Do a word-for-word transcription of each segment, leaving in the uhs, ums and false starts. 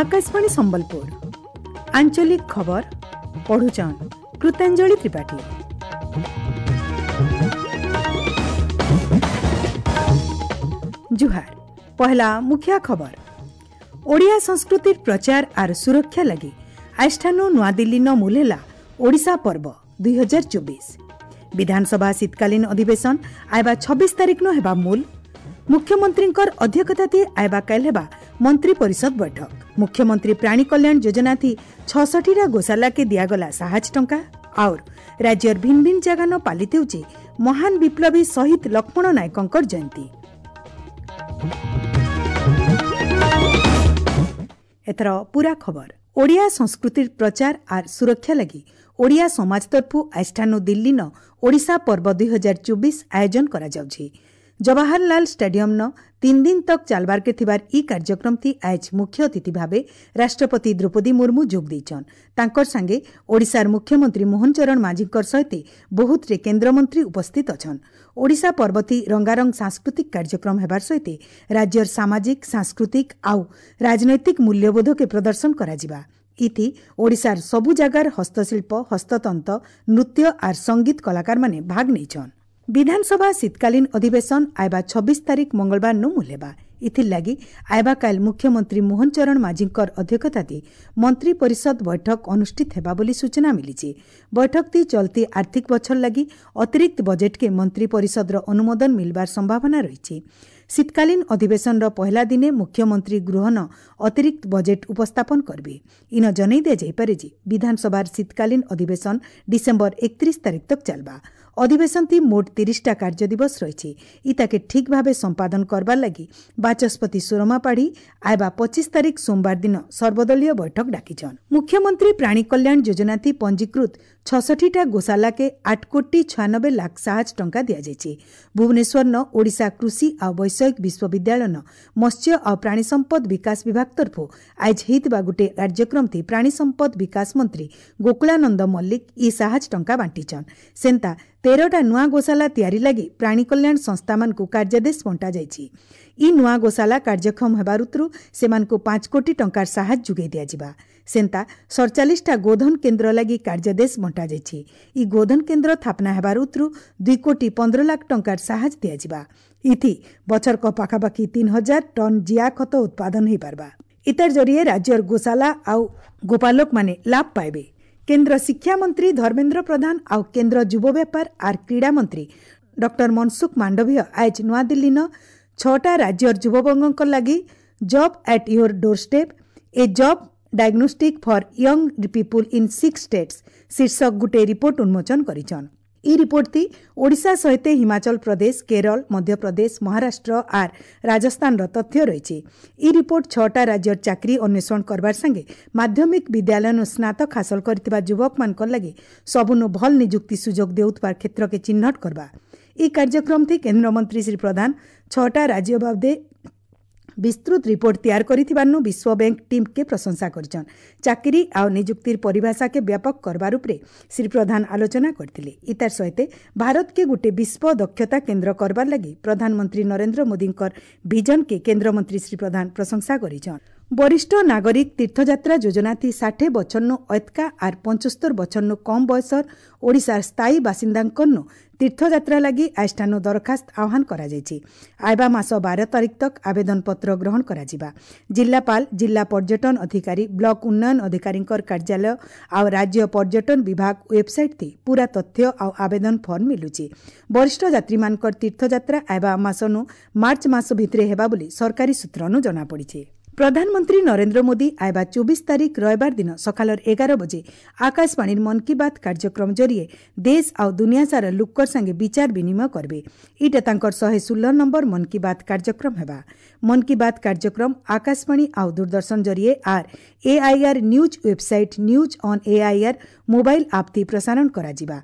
ଆକାଶବାଣୀ ସମ୍ବଲପୁର ଆଞ୍ଚଳିକ ଖବର ପଢୁଛନ୍ କୃତାଞ୍ଜଳି ତ୍ରିପାଠୀ। ଜୁହାର। ପହଲା ମୁଖ୍ୟ ଖବର। ଓଡ଼ିଆ ସଂସ୍କୃତିର ପ୍ରଚାର ଆର୍ ସୁରକ୍ଷା ଲାଗି ଆଜିଠାନୁ ନୂଆଦିଲ୍ଲୀନ ମୂଲ ହେଲା ଓଡ଼ିଶା ପର୍ବ ଦୁଇ ହଜାର ଚବିଶ। ବିଧାନସଭା ଶୀତକାଳୀନ ଅଧିବେଶନ ଆଇବା ଛବିଶ ତାରିଖ ହେବା ମୂଲ। ମୁଖ୍ୟମନ୍ତ୍ରୀଙ୍କର ଅଧ୍ୟକ୍ଷତାତି ଆଇବା କାଲ ହେବା ମନ୍ତ୍ରୀ ପରିଷଦ ବୈଠକ। ମୁଖ୍ୟମନ୍ତ୍ରୀ ପ୍ରାଣୀ କଲ୍ୟାଣ ଯୋଜନାଥି ଛଅଷଠିଟା ଗୋଶାଲାକେ ଦିଆଗଲା ସାହାଯ୍ୟ ଟଙ୍କା। ଆଉର୍ ରାଜ୍ୟର ଭିନ୍ନ ଭିନ୍ନ ଜାଗାନ ପାଳିତ ହେଉଛି ମହାନ ବିପ୍ଳବୀ ଶହୀଦ ଲକ୍ଷ୍ମଣ ନାୟକଙ୍କର ଜୟନ୍ତୀ। ଏଥର ପୁରା ଖବର। ଓଡ଼ିଆ ସଂସ୍କୃତିର ପ୍ରଚାର ଆର୍ ସୁରକ୍ଷା ଲାଗି ଓଡ଼ିଆ ସମାଜ ତରଫୁ ଆଜିଠାନୁ ଦିଲ୍ଲୀନ ଓଡ଼ିଶା ପର୍ବ ଦୁଇ ହଜାର ଚବିଶ ଆୟୋଜନ କରାଯାଉଛି। ଜବାହରଲାଲ ଷ୍ଟାଡିୟମ୍ନ ତିନି ଦିନ ତକ୍ ଚାଲବାର୍କେ ଥିବାର ଇ କାର୍ଯ୍ୟକ୍ରମଥି ଆଏଜ୍ ମୁଖ୍ୟ ଅତିଥି ଭାବେ ରାଷ୍ଟ୍ରପତି ଦ୍ରୌପଦୀ ମୁର୍ମୁ ଯୋଗ ଦେଇଛନ୍। ତାଙ୍କର ସାଙ୍ଗେ ଓଡ଼ିଶାର ମୁଖ୍ୟମନ୍ତ୍ରୀ ମୋହନ ଚରଣ ମାଝୀଙ୍କର ସହିତ ବହୁତରେ କେନ୍ଦ୍ରମନ୍ତ୍ରୀ ଉପସ୍ଥିତ ଅଛନ୍। ଓଡ଼ିଶା ପର୍ବଥି ରଙ୍ଗାରଙ୍ଗ ସାଂସ୍କୃତିକ କାର୍ଯ୍ୟକ୍ରମ ହେବାର ସହିତ ରାଜ୍ୟର ସାମାଜିକ, ସାଂସ୍କୃତିକ ଆଉ ରାଜନୈତିକ ମୂଲ୍ୟବୋଧକେ ପ୍ରଦର୍ଶନ କରାଯିବା। ଇଥି ଓଡ଼ିଶାର ସବୁ ଜାଗାର ହସ୍ତଶିଳ୍ପ, ହସ୍ତତନ୍ତ, ନୃତ୍ୟ ଆର୍ ସଙ୍ଗୀତ କଳାକାରମାନେ ଭାଗ ନେଇଛନ୍। ବିଧାନସଭା ଶୀତକାଳୀନ ଅଧିବେଶନ ଆଇବା ଛବିଶ ତାରିଖ ମଙ୍ଗଳବାର ନୁ ମୂଲ ହେବା। ଇଥିର୍ଲାଗି ଆଇବା କାଲ ମୁଖ୍ୟମନ୍ତ୍ରୀ ମୋହନ ଚରଣ ମାଝୀଙ୍କର ଅଧ୍ୟକ୍ଷତାତି ମନ୍ତ୍ରୀ ପରିଷଦ ବୈଠକ ଅନୁଷ୍ଠିତ ହେବା ବୋଲି ସୂଚନା ମିଳିଛି। ବୈଠକତି ଚଲତି ଆର୍ଥିକ ବଛର ଲାଗି ଅତିରିକ୍ତ ବଜେଟ୍କେ ମନ୍ତ୍ରୀ ପରିଷଦର ଅନୁମୋଦନ ମିଲବାର ସମ୍ଭାବନା ରହିଛି। ଶୀତକାଳୀନ ଅଧିବେଶନର ପହିଲା ଦିନେ ମୁଖ୍ୟମନ୍ତ୍ରୀ ଗୃହନ ଅତିରିକ୍ତ ବଜେଟ୍ ଉପସ୍ଥାପନ କରିବେ। ଇନ ଜଣାଇ ଦିଆଯାଇପାରେ ଯେ ବିଧାନସଭାର ଶୀତକାଳୀନ ଅଧିବେଶନ ଡିସେମ୍ବର ଏକତିରିଶ ତାରିଖ ତକ୍ ଚାଲବା। ଅଧିବେଶନଥି ମୋଟ ତିରିଶଟା କାର୍ଯ୍ୟ ଦିବସ ରହିଛି। ଇତାକେ ଠିକ୍ ଭାବେ ସମ୍ପାଦନ କରବାର ଲାଗି ବାଚସ୍ପତି ସୁରମା ପାଢ଼ୀ ଆଇବା ପଚିଶ ତାରିଖ ସୋମବାର ଦିନ ସର୍ବଦଳୀୟ ବୈଠକ ଡାକିଛନ୍। ମୁଖ୍ୟମନ୍ତ୍ରୀ ପ୍ରାଣୀ କଲ୍ୟାଣ ଯୋଜନାଥି ପଞ୍ଜୀକୃତ ଛଅଷଠିଟା ଗୋଶାଲାକେ ଆଠ କୋଟି ଛୟାନବେ ଲାଖ ସାହାଯ୍ୟ ଟଙ୍କା ଦିଆଯାଇଛି। ଭୁବନେଶ୍ୱରନ ଓଡ଼ିଶା କୃଷି ଆଉ ବୈଷୟିକ ବିଶ୍ୱବିଦ୍ୟାଳୟନ ମତ୍ସ୍ୟ ଆଉ ପ୍ରାଣୀ ସମ୍ପଦ ବିକାଶ ବିଭାଗ ତରଫରୁ ଆଇଜ ହେଇଥିବା ଗୋଟିଏ କାର୍ଯ୍ୟକ୍ରମଥି ପ୍ରାଣୀ ସମ୍ପଦ ବିକାଶ ମନ୍ତ୍ରୀ ଗୋକୁଳାନନ୍ଦ ମଲ୍ଲିକ ଇ ସାହାଯ୍ୟ ଟଙ୍କା ବାଣ୍ଟିଛନ୍। ସେନ୍ତା ତେରଟା ନୂଆ ଗୋଶାଲା ତିଆରି ଲାଗି ପ୍ରାଣୀ କଲ୍ୟାଣ ସଂସ୍ଥାମାନଙ୍କୁ କାର୍ଯ୍ୟାଦେଶ ବଣ୍ଟାଯାଇଛି। ଇ ନୂଆ ଗୋଶାଲା କାର୍ଯ୍ୟକ୍ଷମ ହେବା ଋତୁରୁ ସେମାନଙ୍କୁ ପାଞ୍ଚ କୋଟି ଟଙ୍କାର ସାହାଯ୍ୟ ଯୋଗାଇ ଦିଆଯିବା। ସେନ୍ତା ସଡ଼ଚାଳିଶଟା ଗୋଧନ କେନ୍ଦ୍ର ଲାଗି କାର୍ଯ୍ୟାଦେଶ ବଣ୍ଟାଯାଇଛି। ଇ ଗୋଧନ କେନ୍ଦ୍ର ସ୍ଥାପନା ହେବାର ଋତୁରୁ ଦୁଇ କୋଟି ପନ୍ଦର ଲାଖ ଟଙ୍କାର ସାହାଯ୍ୟ ଦିଆଯିବା। ଇଥି ବଛରକ ପାଖାପାଖି ତିନି ହଜାର ଟନ୍ ଜିଆ ଖତ ଉତ୍ପାଦନ ହୋଇପାରବା। ଇତାର ଜରିଏ ରାଜ୍ୟର ଗୋଶାଲା ଆଉ ଗୋପାଲକମାନେ ଲାଭ ପାଇବେ। କେନ୍ଦ୍ର ଶିକ୍ଷାମନ୍ତ୍ରୀ ଧର୍ମେନ୍ଦ୍ର ପ୍ରଧାନ ଆଉ କେନ୍ଦ୍ର ଯୁବ ବ୍ୟାପାର ଆର୍ କ୍ରୀଡ଼ା ମନ୍ତ୍ରୀ ଡକ୍ଟର ମନସୁଖ ମାଣ୍ଡଭୀୟ ଆଏଜ୍ ନୂଆଦିଲ୍ଲୀନ ଛଅଟା ରାଜ୍ୟର ଯୁବବର୍ଗଙ୍କ ଲାଗି job at your doorstep, a job diagnostic for young people in six states ଶୀର୍ଷକ ଗୋଟିଏ ରିପୋର୍ଟ ଉନ୍ମୋଚନ କରିଛନ୍। ଇ ରିପୋର୍ଟଟି ଓଡ଼ିଶା ସହିତ ହିମାଚଳ ପ୍ରଦେଶ, କେରଳ, ମଧ୍ୟପ୍ରଦେଶ, ମହାରାଷ୍ଟ୍ର ଆର୍ ରାଜସ୍ଥାନର ତଥ୍ୟ ରହିଛି। ଇ ରିପୋର୍ଟ ଛଅଟା ରାଜ୍ୟର ଚାକିରି ଅନ୍ୱେଷଣ କରବାର ସାଙ୍ଗେ ମାଧ୍ୟମିକ ବିଦ୍ୟାଳୟନୁ ସ୍ନାତକ ହାସଲ କରିଥିବା ଯୁବକମାନଙ୍କର ଲାଗି ସବୁନୁ ଭଲ ନିଯୁକ୍ତି ସୁଯୋଗ ଦେଉଥିବା କ୍ଷେତ୍ରକେ ଚିହ୍ନଟ କରବା। ଇ କାର୍ଯ୍ୟକ୍ରମଥି କେନ୍ଦ୍ରମନ୍ତ୍ରୀ ଶ୍ରୀ ପ୍ରଧାନ ଛଅଟା ରାଜ୍ୟ ବାବଦେ ବିସ୍ତୃତ ରିପୋର୍ଟ ତିଆରି କରିଥିବାରୁ ବିଶ୍ୱ ବ୍ୟାଙ୍କ ଟିମ୍କେ ପ୍ରଶଂସା କରିଛନ୍। ଚାକିରି ଆଉ ନିଯୁକ୍ତିର ପରିଭାଷାକେ ବ୍ୟାପକ କରବାର ଉପରେ ଶ୍ରୀ ପ୍ରଧାନ ଆଲୋଚନା କରିଥିଲେ। ଇତାର ସହିତ ଭାରତକେ ଗୋଟେ ବିଶ୍ୱ ଦକ୍ଷତା କେନ୍ଦ୍ର କରବାର ଲାଗି ପ୍ରଧାନମନ୍ତ୍ରୀ ନରେନ୍ଦ୍ର ମୋଦୀଙ୍କର ଭିଜନକେ କେନ୍ଦ୍ରମନ୍ତ୍ରୀ ଶ୍ରୀ ପ୍ରଧାନ ପ୍ରଶଂସା କରିଛନ୍। ବରିଷ୍ଠ ନାଗରିକ ତୀର୍ଥଯାତ୍ରା ଯୋଜନାଥି ଷାଠିଏ ବଛରନୁ ଅଏତକା ଆର୍ ପଞ୍ଚସ୍ତର ବଛରନୁ କମ୍ ବୟସର ଓଡ଼ିଶାର ସ୍ଥାୟୀ ବାସିନ୍ଦାଙ୍କନୁ ତୀର୍ଥଯାତ୍ରା ଲାଗି ଆଜିଠାନୁ ଦରଖାସ୍ତ ଆହ୍ୱାନ କରାଯାଇଛି। ଆଇବା ମାସ ବାର ତାରିଖ ତକ୍ ଆବେଦନପତ୍ର ଗ୍ରହଣ କରାଯିବା। ଜିଲ୍ଲାପାଳ, ଜିଲ୍ଲା ପର୍ଯ୍ୟଟନ ଅଧିକାରୀ, ବ୍ଲକ ଉନ୍ନୟନ ଅଧିକାରୀଙ୍କର କାର୍ଯ୍ୟାଳୟ ଆଉ ରାଜ୍ୟ ପର୍ଯ୍ୟଟନ ବିଭାଗ ୱେବସାଇଟ୍ ପୁରା ତଥ୍ୟ ଆଉ ଆବେଦନ ଫର୍ମ ମିଲୁଛି। ବରିଷ୍ଠ ଯାତ୍ରୀମାନଙ୍କର ତୀର୍ଥଯାତ୍ରା ଆଇବା ମାସନୁ ମାର୍ଚ୍ଚ ମାସ ଭିତରେ ହେବା ବୋଲି ସରକାରୀ ସୂତ୍ରନୁ ଜଣାପଡ଼ିଛି। ପ୍ରଧାନମନ୍ତ୍ରୀ ନରେନ୍ଦ୍ର ମୋଦୀ ଆଇବା ଚବିଶ ତାରିଖ ରବିବାର ଦିନ ସକାଳର ଏଗାର ବଜେ ଆକାଶବାଣୀର ମନ୍ କି ବାତ୍ କାର୍ଯ୍ୟକ୍ରମ ଜରିଏ ଦେଶ ଆଉ ଦୁନିଆ ସାରା ଲୋକର ସାଙ୍ଗେ ବିଚାର ବିନିମୟ କରିବେ। ଇଟା ତାଙ୍କର ଶହେ ଷୋହଳ ନମ୍ବର ମନ୍ କି ବାତ୍ କାର୍ଯ୍ୟକ୍ରମ ହେବା। ମନ୍ କି ବାତ୍ କାର୍ଯ୍ୟକ୍ରମ ଆକାଶବାଣୀ ଆଉ ଦୂରଦର୍ଶନ ଜରିଏ ଆର୍ AIR news website, news on AIR mobile app ଥି ପ୍ରସାରଣ କରାଯିବା।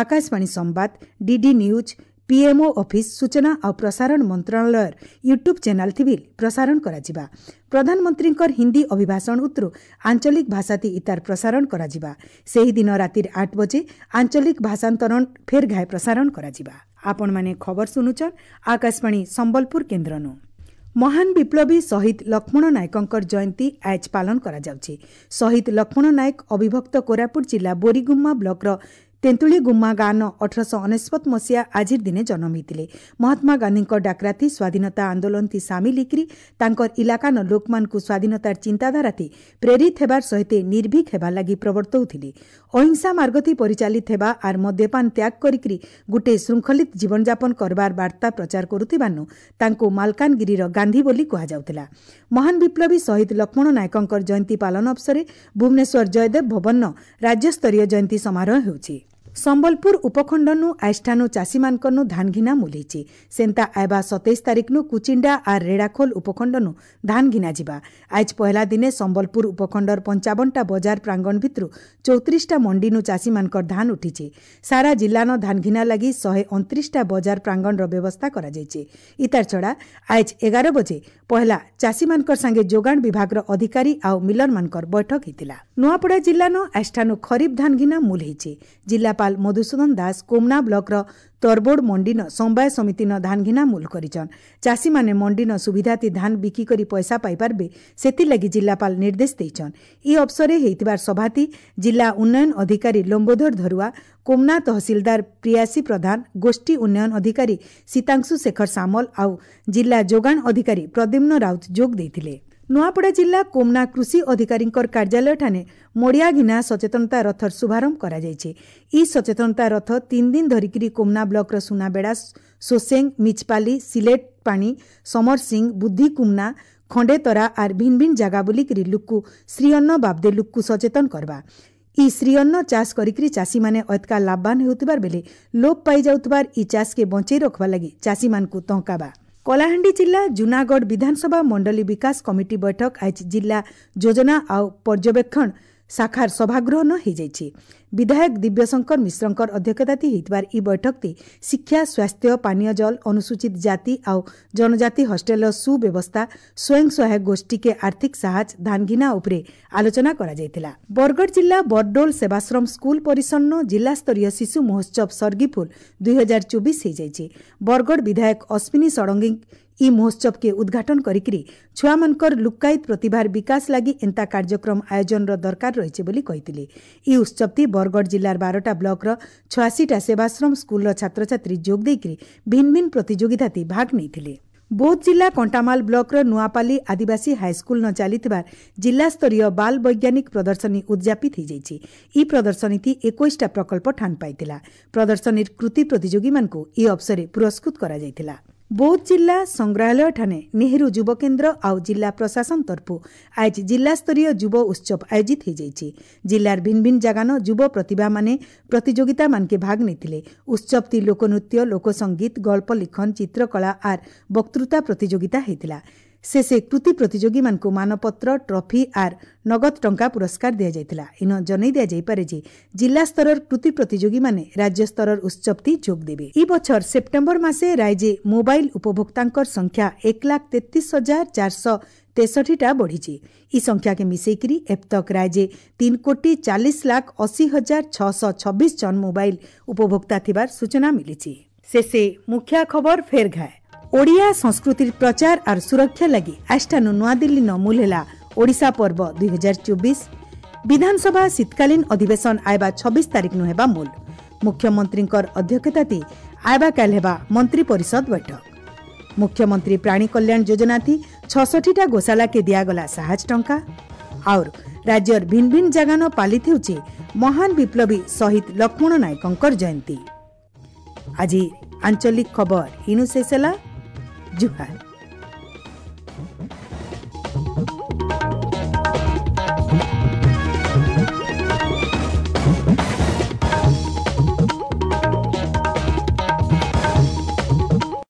ଆକାଶବାଣୀ ସମ୍ବାଦ, ଡିଡି ନ୍ୟୁଜ୍, ପିଏମ୍ଓ ଅଫିସ୍, ସୂଚନା ଆଉ ପ୍ରସାରଣ ମନ୍ତ୍ରଣାଳୟର ୟୁଟ୍ୟୁବ୍ ଚ୍ୟାନେଲ୍ ଥି ବି ପ୍ରସାରଣ କରାଯିବା। ପ୍ରଧାନମନ୍ତ୍ରୀଙ୍କର ହିନ୍ଦୀ ଅଭିଭାଷଣ ଉତ୍ତରୁ ଆଞ୍ଚଳିକ ଭାଷାତି ଇତାର ପ୍ରସାରଣ କରାଯିବା। ସେହିଦିନ ରାତିର ଆଠ ବଜେ ଆଞ୍ଚଳିକ ଭାଷାନ୍ତରଣ ଫେର୍ ଘାଏ ପ୍ରସାରଣ କରାଯିବା। ଆପଣମାନେ ଖବର ଶୁଣୁଛନ୍ ଆକାଶବାଣୀ ସମ୍ବଲପୁର କେନ୍ଦ୍ରନୁ। ମହାନ ବିପ୍ଳବୀ ଶହୀଦ ଲକ୍ଷ୍ମଣ ନାୟକଙ୍କର ଜୟନ୍ତୀ ଆଜ ପାଳନ କରାଯାଉଛି। ଶହୀଦ ଲକ୍ଷ୍ମଣ ନାୟକ ଅବିଭକ୍ତ କୋରାପୁଟ ଜିଲ୍ଲା ବୋରିଗୁମ୍ମା ବ୍ଲକର ତେନ୍ତୁଳିଗୁମ୍ମା ଗାଁନ ଅଠରଶହ ଅନେଶ୍ୱତ ମସିହା ଆଜିର ଦିନେ ଜନ୍ମ ହୋଇଥିଲେ। ମହାତ୍ମା ଗାନ୍ଧୀଙ୍କ ଡାକରାତି ସ୍ୱାଧୀନତା ଆନ୍ଦୋଳନଥି ସାମିଲ ହେଇକରି ତାଙ୍କର ଇଲାକାନ ଲୋକମାନଙ୍କୁ ସ୍ୱାଧୀନତାର ଚିନ୍ତାଧାରାଥି ପ୍ରେରିତ ହେବାର ସହିତ ନିର୍ଭୀକ ହେବାର ଲାଗି ପ୍ରବର୍ତ୍ତାଉଥିଲେ। ଅହିଂସା ମାର୍ଗଥି ପରିଚାଳିତ ହେବା ଆର୍ ମଦ୍ୟପାନ ତ୍ୟାଗ କରିକରି ଗୁଟେ ଶୃଙ୍ଖଳିତ ଜୀବନଯାପନ କରବାର ବାର୍ତ୍ତା ପ୍ରଚାର କରୁଥିବାରୁ ତାଙ୍କୁ ମାଲକାନଗିରିର ଗାନ୍ଧୀ ବୋଲି କୁହାଯାଉଥିଲା। ମହାନ ବିପ୍ଳବୀ ଶହୀଦ ଲକ୍ଷ୍ମଣ ନାୟକଙ୍କର ଜୟନ୍ତୀ ପାଳନ ଅବସରରେ ଭୁବନେଶ୍ୱର ଜୟଦେବ ଭବନ ରାଜ୍ୟସ୍ତରୀୟ ଜୟନ୍ତୀ ସମାରୋହ ହେଉଛି। ସମ୍ବଲପୁର ଉପଖଣ୍ଡନୁ ଆଇଷ୍ଠାନୁ ଚାଷୀମାନଙ୍କନୁ ଧାନ ଘିନା ମୂଲ ହେଇଛେ। ସେନ୍ତା ଆଇବା ସତେଇଶ ତାରିଖନୁ କୁଚିଣ୍ଡା ଆର୍ ରେଡ଼ାଖୋଲ ଉପଖଣ୍ଡନୁ ଧାନ ଘିନା ଯିବା। ଆଜ ପହଲା ଦିନେ ସମ୍ବଲପୁର ଉପଖଣ୍ଡର ପଞ୍ଚାବନଟା ବଜାର ପ୍ରାଙ୍ଗଣ ଭିତରୁ ଚଉତିରିଶଟା ମଣ୍ଡିନୁ ଚାଷୀମାନଙ୍କର ଧାନ ଉଠିছে। ସାରା ଜିଲ୍ଲାନ ଧାନ ଘିନା ଲାଗି ଶହେ ଅଣତିରିଶଟା ବଜାର ପ୍ରାଙ୍ଗଣର ବ୍ୟବସ୍ଥା କରାଯାଇଛି। ଇତାର ଛଡ଼ା ଆଜ ଏଗାର ବଜେ ପହଲା ଚାଷୀମାନଙ୍କର ସାଙ୍ଗେ ଯୋଗାଣ ବିଭାଗର ଅଧିକାରୀ ଆଉ ମିଲରମାନଙ୍କର ବୈଠକ ହେଇଥିଲା। ନୂଆପଡ଼ା ଜିଲ୍ଲାନ ଆଷ୍ଠାନୁ ଖରିଫ ଧାନ ଘିନା ମୂଲ ହେଇছে। ଜିଲ୍ଲାପାଳ ମଧୁସୂଦନ ଦାସ କୋମନା ବ୍ଲକର ତରବୋଡ଼ ମଣ୍ଡିନ ସମବାୟ ସମିତିନ ଧାନ ଘିନା ମୂଲ କରିଛନ୍। ଚାଷୀମାନେ ମଣ୍ଡିନ ସୁବିଧାତି ଧାନ ବିକିକରି ପଇସା ପାଇପାରବେ, ସେଥିଲାଗି ଜିଲ୍ଲାପାଳ ନିର୍ଦ୍ଦେଶ ଦେଇଛନ୍। ଇ ଅବସରେ ହେଇଥିବାର ସଭାତି ଜିଲ୍ଲା ଉନ୍ନୟନ ଅଧିକାରୀ ଲମ୍ବୋଧର ଧରୁଆ, କୋମନା ତହସିଲଦାର ପ୍ରିୟାସୀ ପ୍ରଧାନ, ଗୋଷ୍ଠୀ ଉନ୍ନୟନ ଅଧିକାରୀ ସୀତାଂଶୁ ଶେଖର ସାମଲ ଆଉ ଜିଲ୍ଲା ଯୋଗାଣ ଅଧିକାରୀ ପ୍ରଦ୍ୟୁମ୍ନ ରାଉତ ଯୋଗ ଦେଇଥିଲେ। ନୂଆପଡ଼ା ଜିଲ୍ଲା କୋମନା କୃଷି ଅଧିକାରୀଙ୍କର କାର୍ଯ୍ୟାଳୟଠାରେ ମଡ଼ିଆ ଘିନା ସଚେତନତା ରଥର ଶୁଭାରମ୍ଭ କରାଯାଇଛି। ଇ ସଚେତନତା ରଥ ତିନି ଦିନ ଧରିକିରି କୋମନା ବ୍ଲକର ସୁନାବେଡ଼ା, ସୋସେଙ୍ଗ, ମିଚପାଲି, ସିଲେଟ ପାଣି, ସମର ସିଂ, ବୁଦ୍ଧି କୁମନା, ଖଣ୍ଡେତରା ଆର୍ ଭିନ୍ ଭିନ୍ ଜାଗା ବୁଲିକିରି ଲୁକ୍କୁ ଶ୍ରୀଅନ୍ନ ବାବଦେ ଲୁକ୍କୁ ସଚେତନ କରବା। ଇ ଶ୍ରୀଅନ୍ନ ଚାଷ କରିକିରି ଚାଷୀମାନେ ଅତକା ଲାଭବାନ ହେଉଥିବାର ବେଲେ ଲୋପ ପାଇଯାଉଥିବାର ଇ ଚାଷକେ ବଞ୍ଚେଇ ରଖବା ଲାଗି ଚାଷୀମାନଙ୍କୁ ତଙ୍କାବା। କଳାହାଣ୍ଡି ଜିଲ୍ଲା ଜୁନାଗଡ଼ ବିଧାନସଭା ମଣ୍ଡଳୀ ବିକାଶ କମିଟି ବୈଠକ ଆଜ ଜିଲ୍ଲା ଯୋଜନା ଆଉ ପର୍ଯ୍ୟବେକ୍ଷଣ ଶାଖାର ସଭାଗୃହ ହୋଇଯାଇଛି। ବିଧାୟକ ଦିବ୍ୟଶଙ୍କର ମିଶ୍ରଙ୍କର ଅଧ୍ୟକ୍ଷତାତି ହେଇଥିବାର ଇ ବୈଠକଟି ଶିକ୍ଷା, ସ୍ୱାସ୍ଥ୍ୟ, ପାନୀୟ ଜଳ, ଅନୁସୂଚିତ ଜାତି ଆଉ ଜନଜାତି ହଷ୍ଟେଲର ସୁବ୍ୟବସ୍ଥା, ସ୍ୱୟଂ ସହାୟକ ଗୋଷ୍ଠୀକେ ଆର୍ଥିକ ସାହାଯ୍ୟ, ଧାନଘିନା ଉପରେ ଆଲୋଚନା କରାଯାଇଥିଲା। ବରଗଡ଼ ଜିଲ୍ଲା ବରଡୋଲ ସେବାଶ୍ରମ ସ୍କୁଲ ପରିସରନ ଜିଲ୍ଲାସ୍ତରୀୟ ଶିଶୁ ମହୋତ୍ସବ ସର୍ଗିଫୁଲ ଦୁଇ ହଜାର ଚବିଶ ହୋଇଯାଇଛି। ବରଗଡ଼ ବିଧାୟକ ଅଶ୍ୱିନୀ ଷଡ଼ଙ୍ଗୀ ଇ ମହୋତ୍ସବକେ ଉଦ୍ଘାଟନ କରିକିରି ଛୁଆମାନଙ୍କର ଲୁକ୍କାୟିତ ପ୍ରତିଭାର ବିକାଶ ଲାଗି ଏନ୍ତା କାର୍ଯ୍ୟକ୍ରମ ଆୟୋଜନର ଦରକାର ରହିଛି ବୋଲି କହିଥିଲେ। ଇ ଉତ୍ସବଟି ବରଗଡ଼ ଜିଲ୍ଲାର ବାରଟା ବ୍ଲକର ଛୟାଅଶୀଟା ସେବାଶ୍ରମ ସ୍କୁଲର ଛାତ୍ରଛାତ୍ରୀ ଯୋଗ ଦେଇକରି ଭିନ୍ନ ଭିନ୍ନ ପ୍ରତିଯୋଗିତାତି ଭାଗ ନେଇଥିଲେ। ବୌଦ୍ଧ ଜିଲ୍ଲା କଣ୍ଟାମାଲ ବ୍ଲକର ନୂଆପାଲି ଆଦିବାସୀ ହାଇସ୍କୁଲନ ଚାଲିଥିବା ଜିଲ୍ଲାସ୍ତରୀୟ ବାଲ ବୈଜ୍ଞାନିକ ପ୍ରଦର୍ଶନୀ ଉଦ୍ଯାପିତ ହୋଇଯାଇଛି। ଇ ପ୍ରଦର୍ଶନୀତି ଏକୋଇଶଟା ପ୍ରକଳ୍ପ ଠାନ ପାଇଥିଲା। ପ୍ରଦର୍ଶନୀର କୃତି ପ୍ରତିଯୋଗୀମାନଙ୍କୁ ଇ ଅବସରରେ ପୁରସ୍କୃତ କରାଯାଇଥିଲା। ବୌଦ୍ଧ ଜିଲ୍ଲା ସଂଗ୍ରହାଳୟଠାରେ ନେହେରୁ ଯୁବକେନ୍ଦ୍ର ଆଉ ଜିଲ୍ଲା ପ୍ରଶାସନ ତରଫୁ ଆଜ ଜିଲ୍ଲାସ୍ତରୀୟ ଯୁବ ଉତ୍ସବ ଆୟୋଜିତ ହୋଇଯାଇଛି। ଜିଲ୍ଲାର ଭିନ୍ନ ଭିନ୍ନ ଜାଗାନ ଯୁବ ପ୍ରତିଭାମାନେ ପ୍ରତିଯୋଗିତାମାନକେ ଭାଗ ନେଇଥିଲେ। ଉତ୍ସବଟି ଲୋକନୃତ୍ୟ, ଲୋକସଙ୍ଗୀତ, ଗଳ୍ପ ଲିଖନ, ଚିତ୍ରକଳା ଆର୍ ବକ୍ତୃତା ପ୍ରତିଯୋଗିତା ହେଇଥିଲା। ଶେଷେ କୃତି ପ୍ରତିଯୋଗୀମାନଙ୍କୁ ମାନପତ୍ର, ଟ୍ରଫି ଆର୍ ନଗଦ ଟଙ୍କା ପୁରସ୍କାର ଦିଆଯାଇଥିଲା। ଇନ ଜଣାଇ ଦିଆଯାଇପାରେ ଯେ ଜିଲ୍ଲାସ୍ତରର କୃତି ପ୍ରତିଯୋଗୀମାନେ ରାଜ୍ୟସ୍ତରର ଉତ୍ସବଟି ଯୋଗ ଦେବେ। ଇ ବଛର ସେପ୍ଟେମ୍ବର ମାସେ ରାଜ୍ୟେ ମୋବାଇଲ ଉପଭୋକ୍ତାଙ୍କର ସଂଖ୍ୟା ଏକ ଲାଖ ତେତିଶ ହଜାର ଚାରିଶହ ତେଷଠିଟା ବଢ଼ିଛି। ଇ ସଂଖ୍ୟାକେ ମିଶେଇକିରି ଏବତକ ରାଜ୍ୟେ ତିନି କୋଟି ଚାଳିଶ ଲାଖ ଅଶୀ ହଜାର ଛଅଶହ ଛବିଶ ଜଣ ମୋବାଇଲ ଉପଭୋକ୍ତା ଥିବାର ସୂଚନା ମିଳିଛି। ଶେଷେ ମୁଖ୍ୟ ଖବର ଫେର ଘାଏ। ଓଡ଼ିଆ ସଂସ୍କୃତିର ପ୍ରଚାର ଆର୍ ସୁରକ୍ଷା ଲାଗି ଆଷ୍ଠାନୁ ନୂଆଦିଲ୍ଲୀ ନ ମୂଲ ହେଲା ଓଡ଼ିଶା ପର୍ବ ଦୁଇ ହଜାର ଚବିଶ। ବିଧାନସଭା ଶୀତକାଳୀନ ଅଧିବେଶନ ଆଇବା ଛବିଶ ତାରିଖ ନୁ ହେବା ମୂଲ। ମୁଖ୍ୟମନ୍ତ୍ରୀଙ୍କର ଅଧ୍ୟକ୍ଷତାତି ଆଇବା କାଲ ହେବା ମନ୍ତ୍ରୀ ପରିଷଦ ବୈଠକ। ମୁଖ୍ୟମନ୍ତ୍ରୀ ପ୍ରାଣୀ କଲ୍ୟାଣ ଯୋଜନାଥି ଛଷଠିଟା ଗୋଶାଲାକେ ଦିଆଗଲା ସାହାଯ୍ୟ ଟଙ୍କା। ଆଉର ରାଜ୍ୟର ଭିନ୍ନ ଭିନ୍ନ ଜାଗାନ ପାଳିତ ହେଉଛି ମହାନ ବିପ୍ଳବୀ ଶହୀଦ ଲକ୍ଷ୍ମଣ ନାୟକଙ୍କର ଜୟନ୍ତୀ। ଆଜି ଆଞ୍ଚଳିକ ଖବର ଇନୁ ଶେଷ ହେଲା। ଜୁହାର।